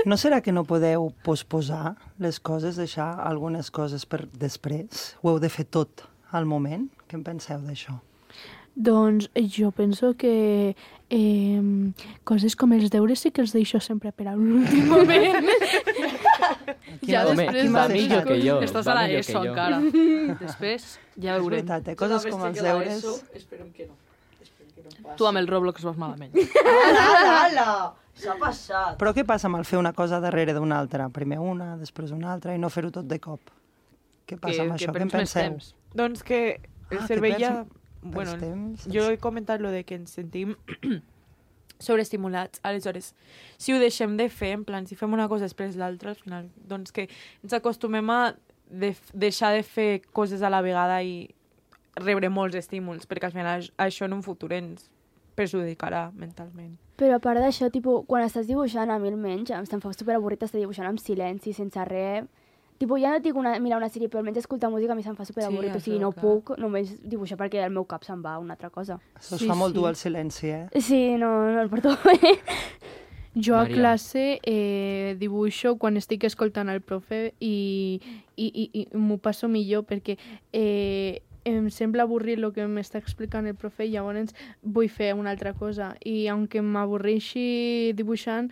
No serà que no podeu posposar les coses, deixar algunes coses per després? Ho heu de fer tot al moment? Què en penseu d'això? Doncs jo penso que eh, coses com els deures sí que els deixo sempre per a l'últim moment. Ja Home, després va de- millor que jo. Estàs va a la millor ESO que jo. encara. Després ja És veurem. veritat, eh? Coses com els deures... Esperem que no. Esperem que no passi. Tu amb el Roblox vas malament. Ala, ala! S'ha passat. Però què passa amb el fer una cosa darrere d'una altra? Primer una, després una altra, i no fer-ho tot de cop? Què passa amb això? Què en penseu? Doncs que el Ah, cervell que ja... perds- Bueno, perds temps. jo he comentat lo de que ens sentim sobreestimulats. Aleshores, si ho deixem de fer, en plan, si fem una cosa després l'altra, al final, doncs que ens acostumem a de deixar de fer coses a la vegada i rebre molts estímuls, perquè al final això en un futur ens perjudicarà mentalment. Però a part d'això, tipus, quan estàs dibuixant, a mi almenys, em se'm fa superavorrit estar dibuixant amb silenci, sense res. Tipo, ja no dic una, mirar una sèrie, però almenys escoltar música a mi se'm fa superavorrit, Sí, o sigui, això, no clar. puc només dibuixar perquè el meu cap se'n va a una altra cosa. Això es fa molt dur el silenci, eh? Sí, no, no el porto bé. Jo a Maria. classe eh, dibuixo quan estic escoltant el profe i, i, i, i m'ho passo millor perquè eh, em sembla avorrit el que m'està explicant el profe i llavors vull fer una altra cosa. I aunque m'avorreixi dibuixant,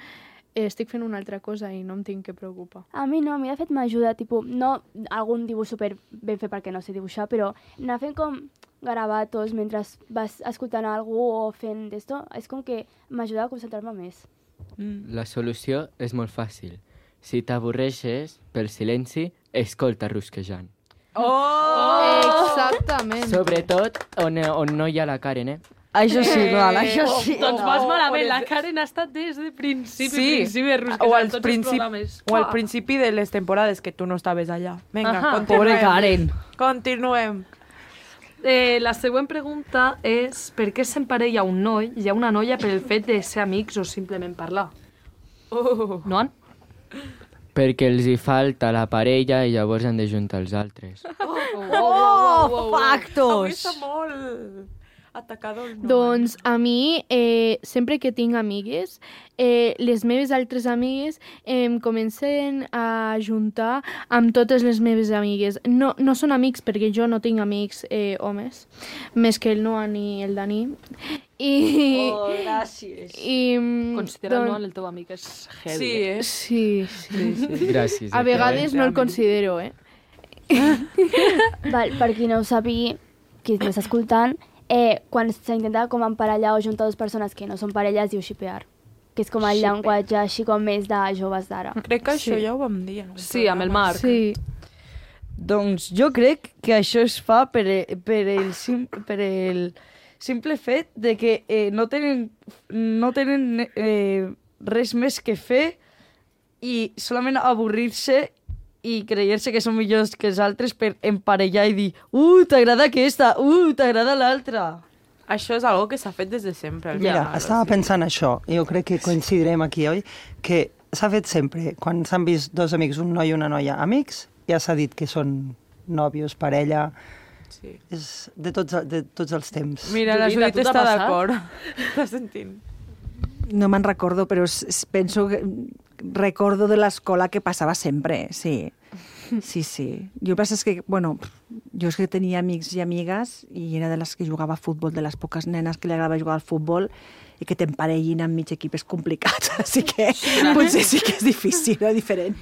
eh, estic fent una altra cosa i no em tinc que preocupar. A mi no, a mi de fet m'ajuda, tipus, no algun dibuix super ben fet perquè no sé dibuixar, però anar fent com garabatos mentre vas escoltant algú o fent d'esto, és com que m'ajuda a concentrar-me més. La solució és molt fàcil. Si t'avorreixes pel silenci, escolta rusquejant. Oh! Exactament. Sobretot on, on no hi ha la Karen, eh? Això sí, Noan, això sí. Doncs vas malament, la Karen ha estat des de principi, Sí, principi de rusquejant, o al, tots els principi, programes. o al Uah. principi de les temporades que tu no estaves allà. Vinga, Ajá. continuem. Pobre Karen. Continuem. Eh, la següent pregunta és per què s'emparella un noi i a una noia per el fet de ser amics o simplement parlar? Oh. No? Perquè els hi falta la parella i llavors han de juntar els altres. Oh, factos! Avui està molt atacador. No? Doncs a mi, eh, sempre que tinc amigues, eh, les meves altres amigues em comencen a juntar amb totes les meves amigues. No, no són amics perquè jo no tinc amics eh, homes, més que el Noah ni el Dani. I, Oh, gràcies. I, mm, Considera doncs- el Noah el teu amic és heavy. Sí, eh? eh? Sí, sí. sí. Gràcies. A eh, vegades no el considero, eh? Val, per qui no ho sàpiga, qui m'està escoltant, eh, quan s'intenta com emparellar o juntar dues persones que no són parelles, diu xipear, que és com el Xipear. llenguatge així com més de joves d'ara. Crec que això Sí. ja ho vam dir. en un Sí, amb el programa. Marc. Sí. Doncs jo crec que això es fa per, e- per, el, sim, per el simple fet de que eh, no tenen, no tenen eh, res més que fer i solament avorrir-se i creure-se que són millors que els altres per emparellar i dir «Uh, t'agrada aquesta! Uh, t'agrada l'altra!» Això és algo que s'ha fet des de sempre. al Mira, final, estava o sigui. pensant això, i jo crec que coincidirem aquí, oi? Que s'ha fet sempre, quan s'han vist dos amics, un noi i una noia, amics, ja s'ha dit que són nòvios, parella... Sí. És de tots, de tots els temps. Mira, la Judit, a Judit tu t'ha està passat? d'acord. Estàs sentint? No me'n recordo, però s- s- penso que recordo de l'escola que passava sempre, sí. Sí, sí. Jo el que passa és que, bueno, jo és que tenia amics i amigues i era de les que jugava a futbol, de les poques nenes que li agradava jugar al futbol i que t'emparellin amb mig equip és complicat, així que potser sí que és difícil, no? Diferent.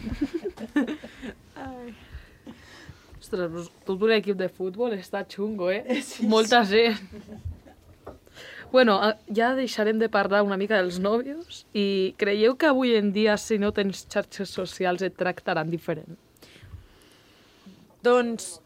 Ostres, pues, tot un equip de futbol està xungo, eh? Sí, Molta gent. Bueno, a- ja deixarem de parlar una mica dels nòvios i creieu que avui en dia, si no tens xarxes socials, et tractaran diferent? Doncs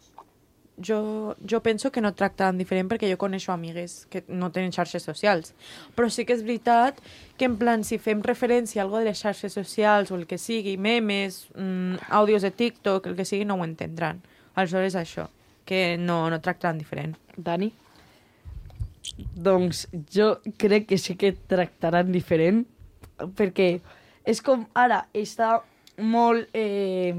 jo, jo penso que no et tractaran diferent perquè jo coneixo amigues que no tenen xarxes socials. Però sí que és veritat que en plan, si fem referència a algo de les xarxes socials o el que sigui, memes, mm, àudios de TikTok, el que sigui, no ho entendran. Aleshores això, que no, no et tractaran diferent. Dani? Doncs jo crec que sí que et tractaran diferent, perquè és com ara està molt, eh,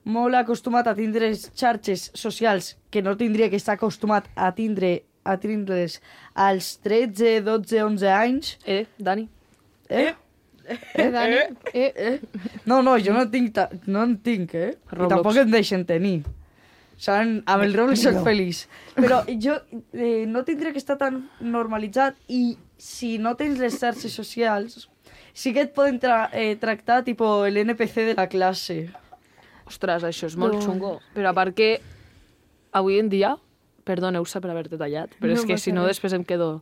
molt acostumat a tindre xarxes socials que no tindria que estar acostumat a tindre a tindre's als tretze, dotze, onze anys. Eh, Dani? Eh? Eh, Dani? Eh, eh? No, no, jo no tinc, ta- no en tinc, eh? I Roblox. tampoc em deixen tenir. Saben? Amb el Roblox soc No. feliç. Però jo eh, no tindria que estar tan normalitzat i si no tens les xarxes socials sí que et poden tra eh, tractar tipo el N P C de la classe. Ostres, això és molt No. xungo. Però a part que avui en dia, perdoneu-se per haver-te tallat, però No és que passa si no res. després em quedo...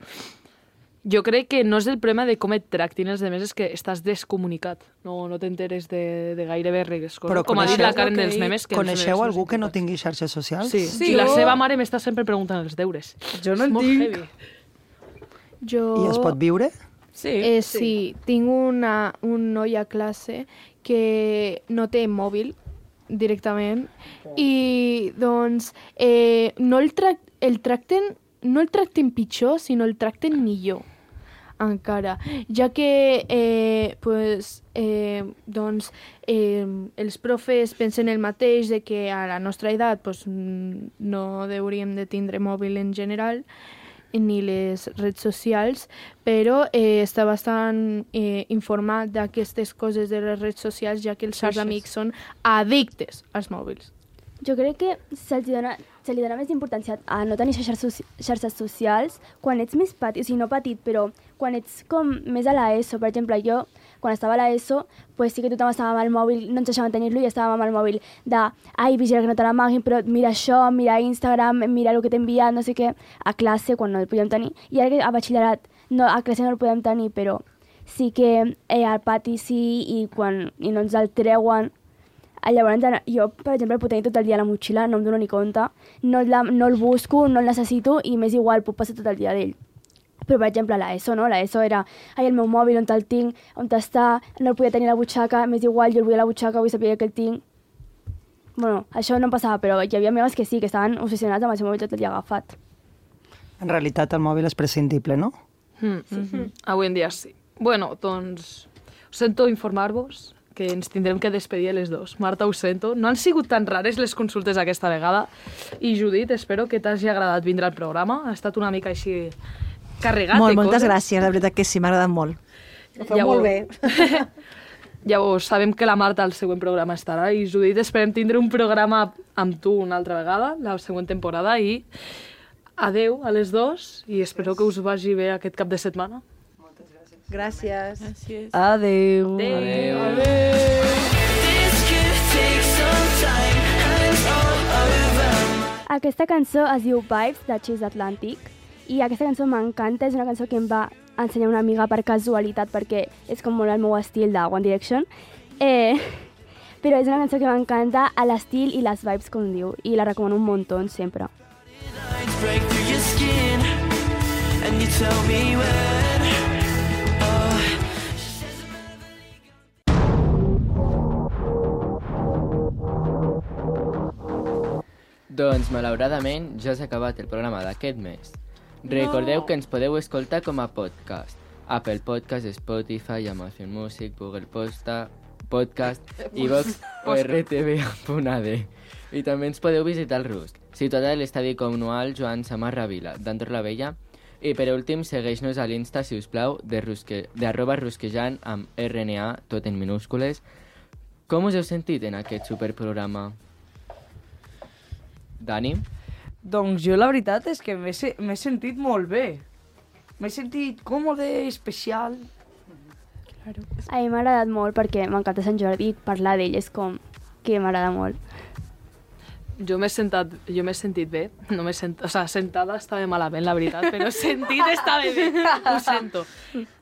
Jo crec que no és el problema de com et tractin els demés, és que estàs descomunicat. No, no t'enteres de, de gairebé res. Però com ha dit la Karen que... dels memes... Que coneixeu no algú que no tingui xarxes socials? Sí, sí. I la seva mare m'està sempre preguntant els deures. Jo no és en molt tinc. heavy. Jo... I es pot viure? Sí. Eh, sí. sí. Tinc una, un noi a classe que no té mòbil directament oh. i doncs eh, no el, tra el tracten no el tracten pitjor, sinó el tracten millor encara, ja que eh, pues, eh, doncs, eh, els profes pensen el mateix de que a la nostra edat pues, no hauríem de tindre mòbil en general ni les redes socials, però eh, està bastant eh, informat d'aquestes coses de les redes socials, ja que els seus amics són addictes als mòbils. Jo crec que se'ls dona, se li dona més importància a no tenir xarxes, xarxes socials quan ets més petit, o sigui, no petit, però quan ets com més a l'ESO. Per exemple, jo, quan estava a l'ESO, pues sí que tothom estava amb el mòbil, no ens deixaven tenir-lo i estàvem amb el mòbil de ai, vigila que no te l'amaguin, però mira això, mira Instagram, mira el que t'he enviat, no sé què, a classe, quan no el podíem tenir. I ara que a batxillerat, no, a classe no el podem tenir, però sí que eh, al pati sí, i quan i no ens el treuen. Llavors, jo, per exemple, el puc tenir tot el dia a la motxilla, no em dono ni compte, no, la, no el busco, no el necessito i m'és igual, puc passar tot el dia d'ell. Però, per exemple, l'ESO, no? L'ESO era, ai, el meu mòbil, on el tinc, on està, no el podia tenir a la butxaca, m'és igual, jo el vull a la butxaca, vull saber que el tinc. Bueno, això no em passava, però hi havia amigues que sí, que estaven obsessionats amb el seu mòbil tot el dia agafat. En realitat, el mòbil és prescindible, no? Mm. Mm-hmm. Avui en dia sí. Bueno, doncs, us sento informar-vos que ens tindrem que despedir les dos. Marta, ho sento. No han sigut tan rares les consultes aquesta vegada. I Judit, espero que t'hagi agradat vindre al programa. Ha estat una mica així carregat molt, de moltes coses. gràcies, la veritat que sí, m'ha agradat molt. Ho feu Llavors, molt bé. Llavors, sabem que la Marta al següent programa estarà i Judit, esperem tindre un programa amb tu una altra vegada, la següent temporada, i adeu a les dos i espero que us vagi bé aquest cap de setmana. Gràcies. Gràcies. Adeu. Adeu. Adeu. Aquesta cançó es diu Vibes, de Chase Atlantic, i aquesta cançó m'encanta, és una cançó que em va ensenyar una amiga per casualitat, perquè és com molt el meu estil de One Direction, eh, però és una cançó que m'encanta a l'estil i les vibes, com diu, i la recomano un muntó sempre. Break through your skin and you tell me when. Doncs, malauradament, ja s'ha acabat el programa d'aquest mes. Recordeu no. que ens podeu escoltar com a podcast. Apple Podcast, Spotify, Amazon Music, Google Posta, Podcast, iVox o R T V punt A D. I també ens podeu visitar al Rusc, situat a l'estadi comunal Joan Samarra Vila, d'Andorra la Vella. I per últim, segueix-nos a l'Insta, si us plau, de, rusque, de arroba rusquejant amb R N A, tot en minúscules. Com us heu sentit en aquest superprograma? Dani? Doncs jo la veritat és que m'he sentit molt bé. M'he sentit còmode, especial. Claro. A mi m'ha agradat molt perquè m'encanta Sant Jordi i parlar d'ell és com que m'agrada molt. Jo m'he sentat, jo m'he sentit bé. No m'he sent, o sea, sentada estava malament, la veritat, però sentit estava bé. Ho sento.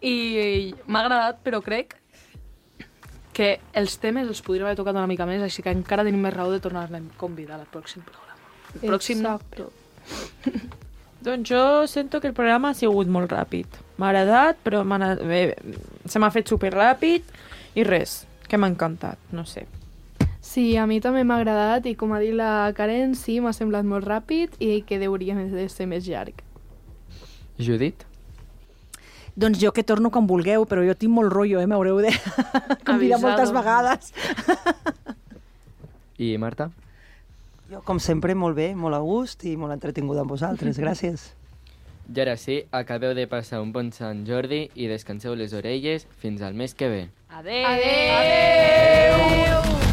I m'ha agradat, però crec que els temes els podríem haver tocat una mica més, així que encara tenim més raó de tornar-ne a convidar al pròxim programa. El pròxim Exacto. Doncs jo sento que el programa ha sigut molt ràpid. M'ha agradat, però anat, eh, se m'ha fet super ràpid i res, que m'ha encantat, no sé. Sí, a mi també m'ha agradat i com ha dit la Karen, sí, m'ha semblat molt ràpid i que hauria de ser més llarg. Judit? Doncs jo que torno quan vulgueu, però jo tinc molt rotllo, eh? M'haureu de convidar moltes vegades. I Marta? Jo, com sempre, molt bé, molt a gust i molt entretinguda amb vosaltres. Gràcies. I ara sí, acabeu de passar un bon Sant Jordi i descanseu les orelles fins al mes que ve. Adeu! Adeu! Adeu!